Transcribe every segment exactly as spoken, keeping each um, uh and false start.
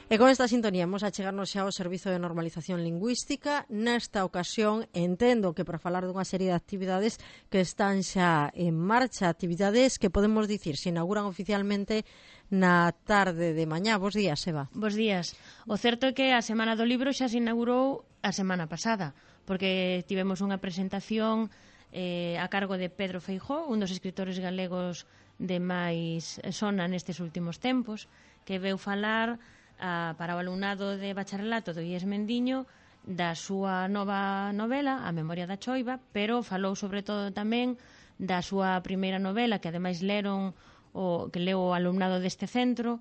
E con esta sintonía vamos a chegarnos xa ao Servizo de Normalización Lingüística. Nesta ocasión entendo que para falar dunha serie de actividades que están xa en marcha, actividades que podemos dicir se inauguran oficialmente na tarde de mañá. Bos días, Eva. Bos días. O certo é que a Semana do Libro xa se inaugurou a semana pasada, porque tivemos unha presentación eh, a cargo de Pedro Feijóo, un dos escritores galegos de máis sona nestes últimos tempos, que veu falar a, para o alumnado de bacharelato do I E S Mendiño da súa nova novela, A Memoria da Choiva, pero falou sobre todo tamén da súa primeira novela, que ademais leron o que leu o alumnado deste centro,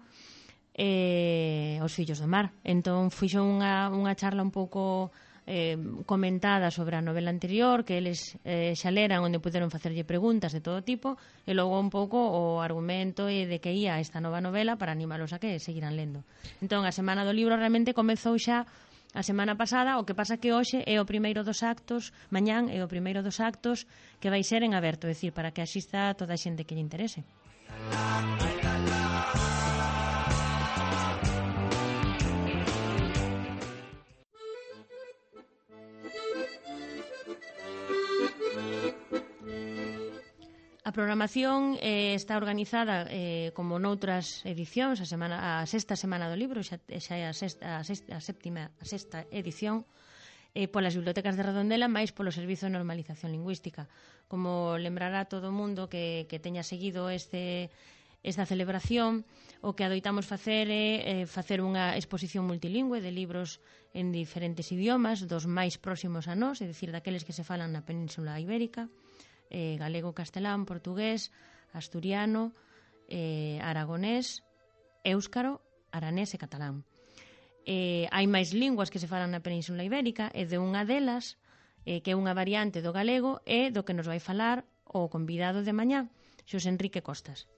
eh, Os Fillos do Mar. Entón fixo unha, unha charla un pouco eh, comentada sobre a novela anterior, que eles eh, xa leran, onde puderon facerlle preguntas de todo tipo, e logo un pouco o argumento e de que ia esta nova novela para animalos a que seguiran lendo. Entón a Semana do Libro realmente comezou xa a semana pasada, o que pasa que hoxe é o primeiro dos actos, mañán é o primeiro dos actos que vai ser en aberto, é dicir, para que asista toda a xente que lle interese. A programación eh, está organizada eh, como noutras edicións, a, semana, a sexta Semana do Libro, xa, xa é a sexta, a sexta, a séptima, a sexta edición, eh, polas bibliotecas de Redondela, máis polo Servizo de Normalización Lingüística. Como lembrará todo o mundo que, que teña seguido este, esta celebración, o que adoitamos facer é eh, facer unha exposición multilingüe de libros en diferentes idiomas, dos máis próximos a nós, é dicir, daqueles que se falan na Península Ibérica, Eh, galego, castelán, portugués, asturiano, eh, aragonés, éuscaro, aranés e catalán. Eh, hai máis linguas que se falan na Península Ibérica e de unha delas, eh, que é unha variante do galego, é do que nos vai falar o convidado de mañá, Xosé Enrique Costas.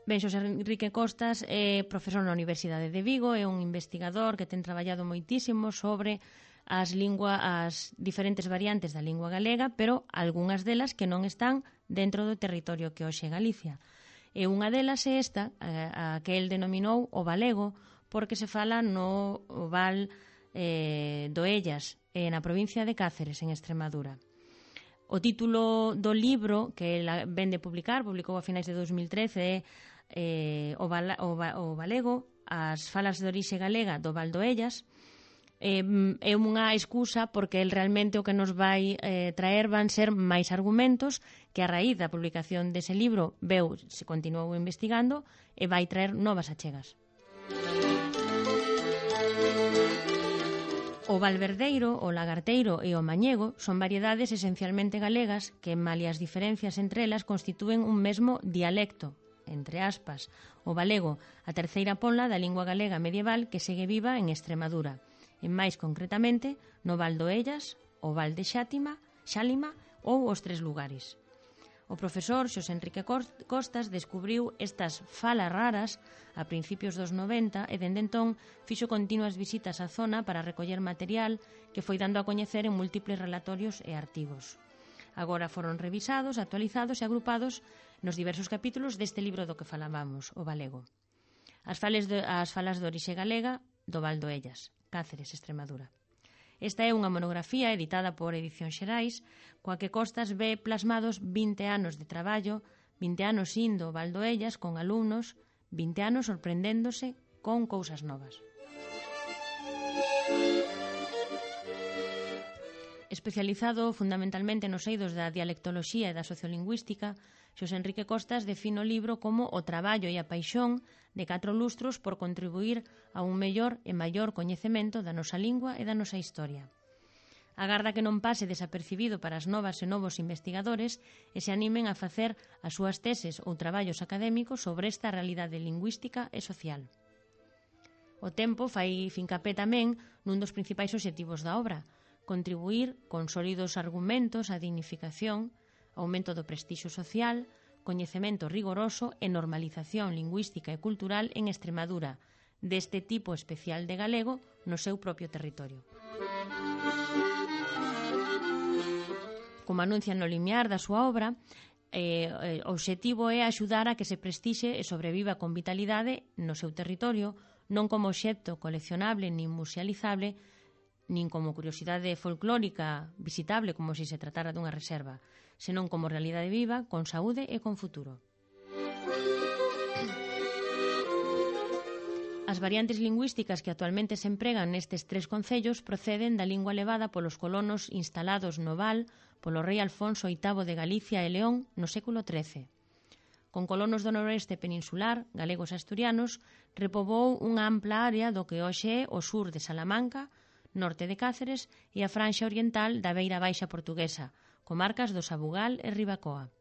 Ben, Xosé Enrique Costas é profesor na Universidade de Vigo, é un investigador que ten traballado moitísimo sobre as lingua, as diferentes variantes da lingua galega, pero algunhas delas que non están dentro do territorio que hoxe é Galicia. E unha delas é esta, a, a que el denominou o valego, porque se fala no Val eh, do Ellas, eh, na provincia de Cáceres, en Extremadura. O título do libro que el vende publicar, publicou a finais de dos mil trece, é eh, o, val, o, o valego, as falas de orixe galega do Val do Ellas. Eh, é unha excusa porque el realmente o que nos vai eh, traer van ser máis argumentos que a raíz da publicación dese libro veu, se continuou investigando e vai traer novas achegas. O valverdeiro, o lagarteiro e o mañego son variedades esencialmente galegas que, malia as diferencias entre elas, constitúen un mesmo dialecto, entre aspas, o valego, a terceira ponla da lingua galega medieval que segue viva en Extremadura, e máis concretamente no Val do Ellas, o Val de Xátima, Xálima ou os tres lugares. O profesor Xosé Enrique Costas descubriu estas falas raras a principios dos noventa e dende entón fixo continuas visitas á zona para recoller material que foi dando a coñecer en múltiples relatorios e artigos. Agora foron revisados, actualizados e agrupados nos diversos capítulos deste libro do que falábamos, o valego. As falas de, as falas de orixe galega do Val do Ellas, Cáceres, Extremadura. Esta é unha monografía editada por Edicións Xerais, coa que Costas ve plasmados vinte anos de traballo, vinte anos indo ao Val do Ellas con alumnos, vinte anos sorprendéndose con cousas novas. Especializado fundamentalmente nos eidos da dialectoloxía e da sociolingüística, Xosé Enrique Costas define o libro como o traballo e a paixón de catro lustros por contribuir a un mellor e maior coñecemento da nosa lingua e da nosa historia. Agarda que non pase desapercibido para as novas e novos investigadores e se animen a facer as súas teses ou traballos académicos sobre esta realidade lingüística e social. O tempo fai fincapé tamén nun dos principais obxectivos da obra, contribuir con sólidos argumentos á dignificación, aumento do prestixio social, coñecemento rigoroso e normalización lingüística e cultural en Extremadura, deste tipo especial de galego no seu propio territorio. Como anuncia no limiar da súa obra, eh, o obxectivo é axudar a que se prestixe e sobreviva con vitalidade no seu territorio, non como obxecto coleccionable nin musealizable, nin como curiosidade folclórica visitable como se se tratara dunha reserva, senón como realidade viva, con saúde e con futuro. As variantes lingüísticas que actualmente se empregan nestes tres concellos proceden da lingua levada polos colonos instalados no Val polo rei Alfonso oitavo de Galicia e León no século trece. Con colonos do noroeste peninsular, galegos e asturianos, repoboou unha ampla área do que hoxe é o sur de Salamanca, norte de Cáceres e a franxa oriental da Beira Baixa portuguesa, comarcas do Sabugal e Ribacoa.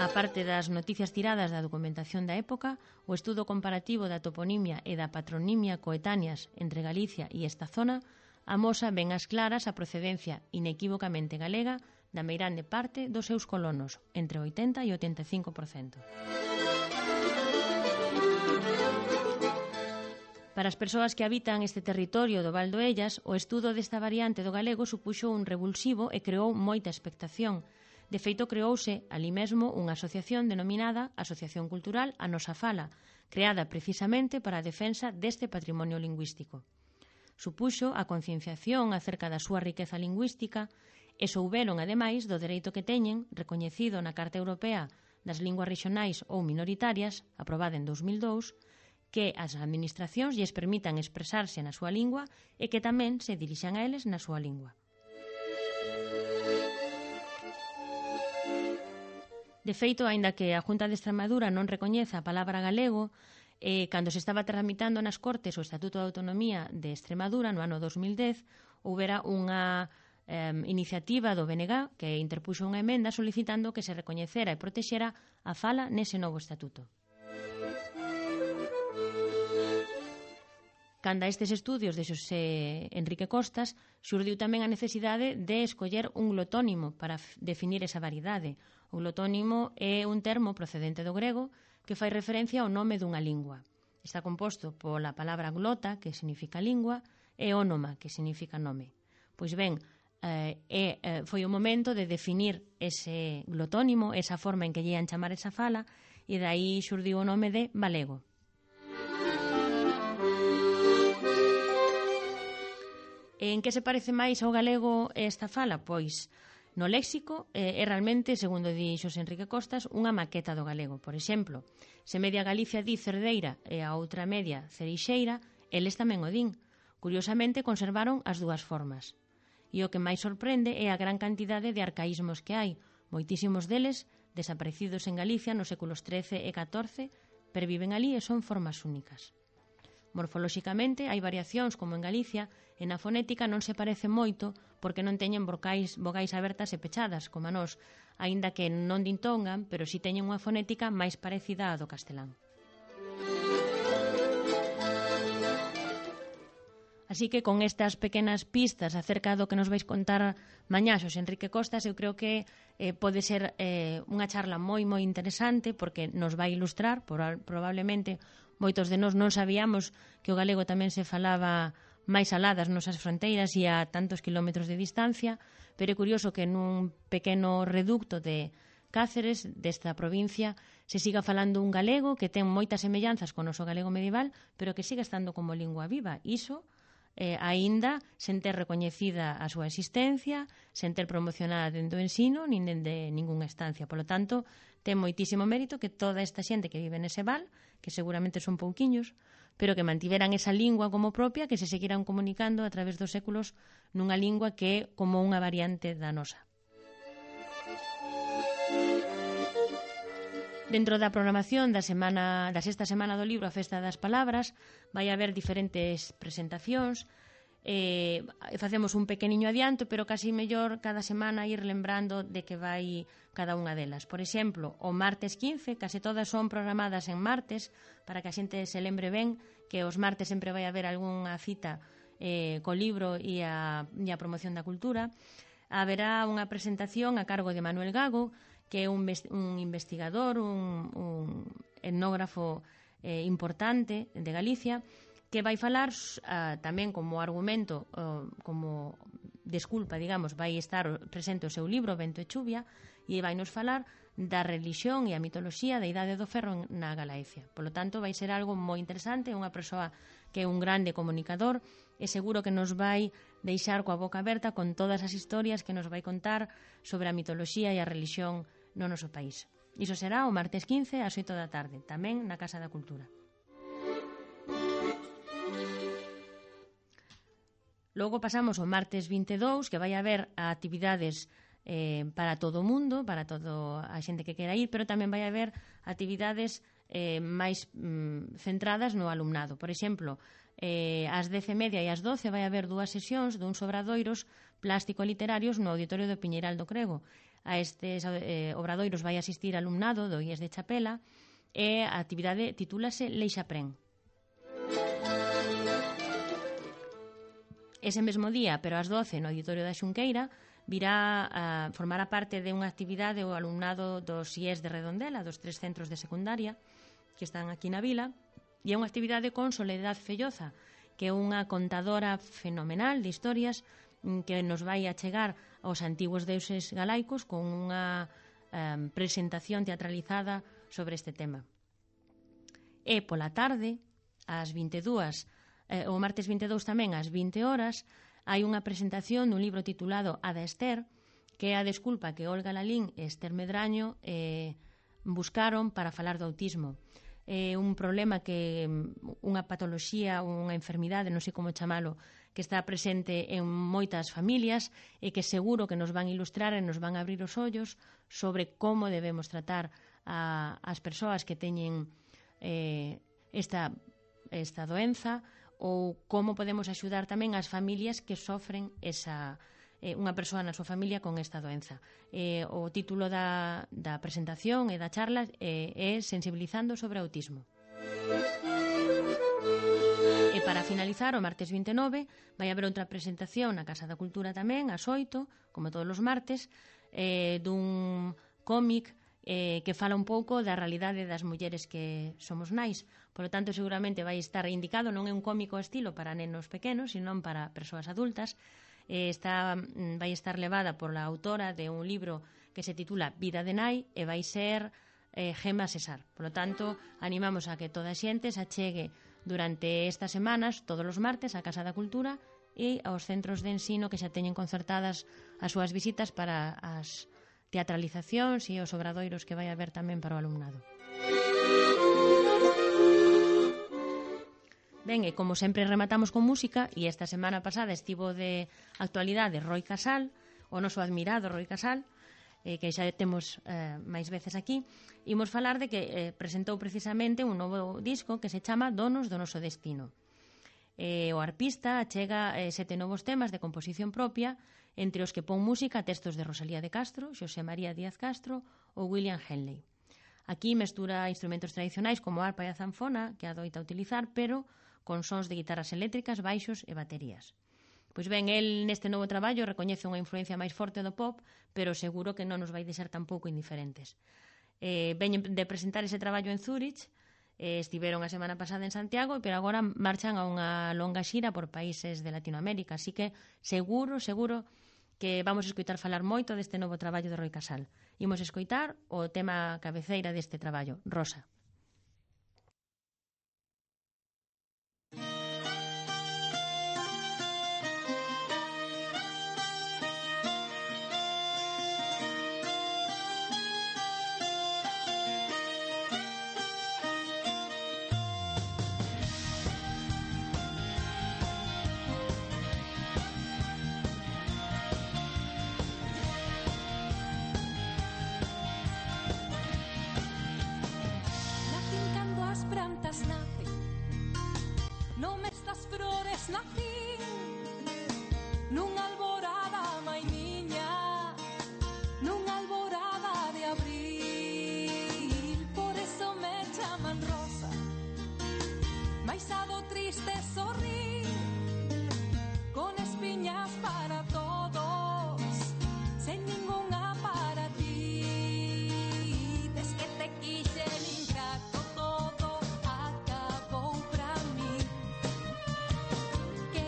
A parte das noticias tiradas da documentación da época, o estudo comparativo da toponimia e da patronimia coetáneas entre Galicia e esta zona amosa ben as claras a procedencia inequívocamente galega da meirande parte dos seus colonos, entre o oitenta e o oitenta e cinco por cento. Para as persoas que habitan este territorio do Val do Ellas, o estudo desta variante do galego supuxo un revulsivo e creou moita expectación. De feito, creouse ali mesmo unha asociación denominada Asociación Cultural A Nosa Fala, creada precisamente para a defensa deste patrimonio lingüístico. Supuxo a concienciación acerca da súa riqueza lingüística e souberon, ademais, do dereito que teñen, recoñecido na Carta Europea das Linguas Rexionais ou Minoritarias, aprobada en dos mil dous, que as administracións lles permitan expresarse na súa lingua e que tamén se dirixan a eles na súa lingua. De feito, aínda que a Junta de Extremadura non recoñeza a palabra galego, eh, cando se estaba tramitando nas Cortes o Estatuto de Autonomía de Extremadura no ano dos mil dez, houbera unha eh, iniciativa do B N G que interpuxo unha emenda solicitando que se recoñecera e protexera a fala nese novo estatuto. Canda estes estudios de Xosé Enrique Costas, xurdiu tamén a necesidade de escoller un glotónimo para definir esa variedade. O glotónimo é un termo procedente do grego que fai referencia ao nome dunha lingua. Está composto pola palabra glota, que significa lingua, e ónoma, que significa nome. Pois ben, eh, eh, foi o momento de definir ese glotónimo, esa forma en que lle ian chamar esa fala, e dai xurdiu o nome de valego. En que se parece máis ao galego esta fala? Pois, no léxico, é realmente, segundo di Xosé Enrique Costas, unha maqueta do galego. Por exemplo, se media Galicia di cerdeira e a outra media cereixeira, eles tamén o din. Curiosamente, conservaron as dúas formas. E o que máis sorprende é a gran cantidade de arcaísmos que hai. Moitísimos deles, desaparecidos en Galicia nos séculos trece e catorce, perviven ali e son formas únicas. Morfolóxicamente hai variacións como en Galicia e na fonética non se parece moito porque non teñen vocais, vogais abertas e pechadas como a nós, aínda que non dintongan, pero si teñen unha fonética máis parecida á do castelán. Así que con estas pequenas pistas acerca do que nos vais contar mañá Xosé Enrique Costas, eu creo que eh, pode ser eh, unha charla moi moi interesante porque nos vai ilustrar, por, probablemente moitos de nós non sabíamos que o galego tamén se falaba máis alá das nosas fronteiras e a tantos kilómetros de distancia, pero é curioso que nun pequeno reducto de Cáceres, desta provincia, se siga falando un galego que ten moitas semellanzas con o noso galego medieval, pero que siga estando como lingua viva. Iso, eh, aínda sen ter recoñecida a súa existencia, sen ter promocionada dentro do ensino, nin dende ningunha estancia. Por lo tanto, ten moitísimo mérito que toda esta xente que vive nese val, que seguramente son pouquiños, pero que mantiveran esa lingua como propia, que se seguiran comunicando a través dos séculos nunha lingua que é como unha variante da nosa. Dentro da programación da semana da sexta semana do libro A Festa das Palabras vai haber diferentes presentacións. Eh, facemos un pequeniño adianto, pero casi mellor cada semana ir lembrando de que vai cada unha delas. Por exemplo, o martes quince, case todas son programadas en martes, para que a xente se lembre ben que os martes sempre vai haber algunha cita eh, co libro e a, e a promoción da cultura. Haberá unha presentación a cargo de Manuel Gago, que é un, un investigador, un, un etnógrafo eh, importante de Galicia, que vai falar uh, tamén como argumento, uh, como desculpa, digamos, vai estar presente o seu libro Vento e Chuvia, e vai nos falar da religión e a mitoloxía da Idade do Ferro na Galaecia. Por lo tanto, vai ser algo moi interesante, unha persoa que é un grande comunicador, e seguro que nos vai deixar coa boca aberta con todas as historias que nos vai contar sobre a mitoloxía e a religión no noso país. Iso será o martes quince ás oito da tarde, tamén na Casa da Cultura. Logo pasamos ao martes vinte e dous, que vai haber actividades eh, para todo o mundo, para toda a xente que quera ir, pero tamén vai haber actividades eh, máis mm, centradas no alumnado. Por exemplo, eh, ás dez e media e ás doce vai haber dúas sesións duns obradoiros plástico-literarios no Auditorio do Piñeiral do Crego. A estes eh, obradoiros vai asistir alumnado do I E S de Chapela, e a actividade titúlase Leixaprén. Ese mesmo día, pero ás doce, no Auditorio da Xunqueira, virá a formar a parte de unha actividade o alumnado dos I E S de Redondela, dos tres centros de secundaria que están aquí na vila, e é unha actividade con Soledad Felloza, que é unha contadora fenomenal de historias que nos vai achegar aos antigos deuses galaicos con unha um, presentación teatralizada sobre este tema. E pola tarde, ás vinte e dúas, eh, o martes vinte e dous tamén, ás vinte horas, hai unha presentación dun libro titulado Ada Ester, que é a desculpa que Olga Lalín e Ester Medraño eh, buscaron para falar do autismo. É un problema que, unha patoloxía, unha enfermidade, non sei como chamalo, que está presente en moitas familias e que seguro que nos van ilustrar e nos van abrir os ollos sobre como debemos tratar a, as persoas que teñen eh, esta, esta doenza, ou como podemos axudar tamén as familias que sofren esa, eh, unha persoa na súa familia con esta doenza. Eh, o título da, da presentación e da charla eh, é Sensibilizando sobre autismo. E para finalizar, o martes vinte e nove vai haber outra presentación na Casa da Cultura tamén, ás oito, como todos os martes, eh, dun cómic eh, que fala un pouco da realidade das mulleres que somos nais. Por lo tanto, seguramente vai estar indicado, non é un cómico estilo para nenos pequenos, sino para persoas adultas. Eh, está, vai estar levada por la autora de un libro que se titula Vida de Nai, e vai ser eh, Gema Cesar. Por lo tanto, animamos a que toda a xente se achegue durante estas semanas, todos os martes, á Casa da Cultura e aos centros de ensino que xa teñen concertadas as súas visitas para as teatralizacións e os obradoiros que vai haber tamén para o alumnado. Ben, e como sempre rematamos con música, e esta semana pasada estivo de actualidade Roi Casal, o noso admirado Roi Casal, eh, que xa temos eh, máis veces aquí, imos falar de que eh, presentou precisamente un novo disco que se chama Donos do Noso Destino. Eh, o arpista achega eh, sete novos temas de composición propia, entre os que pon música a textos de Rosalía de Castro, Xosé María Díaz Castro ou William Henley. Aquí mestura instrumentos tradicionais como a arpa e a zanfona, que adoita utilizar, pero con sons de guitarras eléctricas, baixos e baterías. Pois ben, el neste novo traballo recoñece unha influencia máis forte do pop, pero seguro que non nos vai deixar tampouco indiferentes. Eh, veñen de presentar ese traballo en Zúrich, eh, estiveron a semana pasada en Santiago, pero agora marchan a unha longa xira por países de Latinoamérica, así que seguro, seguro que vamos a escoitar falar moito deste novo traballo de Roi Casal. Imos escoitar o tema cabeceira deste traballo, Rosa. Nacín nunha alborada, mai miña, nunha alborada de abril. Por eso me chaman Rosa, mais a do triste sorrir, con espiñas para todos, sen ningunha para ti. Des que te quixen ingrato, todo acabou pra mí. Que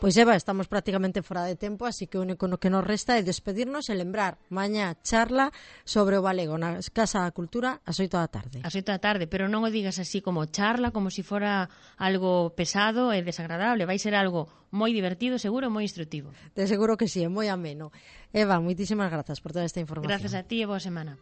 Pois Eva, estamos prácticamente fora de tempo, así que o único que nos resta é despedirnos e lembrar, mañá charla sobre o galego na Casa da Cultura ás oito da tarde. Ás oito da tarde, pero non o digas así como charla, como se si fora algo pesado e desagradable. Vai ser algo moi divertido, seguro, moi instructivo. De seguro que sí, é moi ameno. Eva, moitísimas grazas por toda esta información. Grazas a ti e boa semana.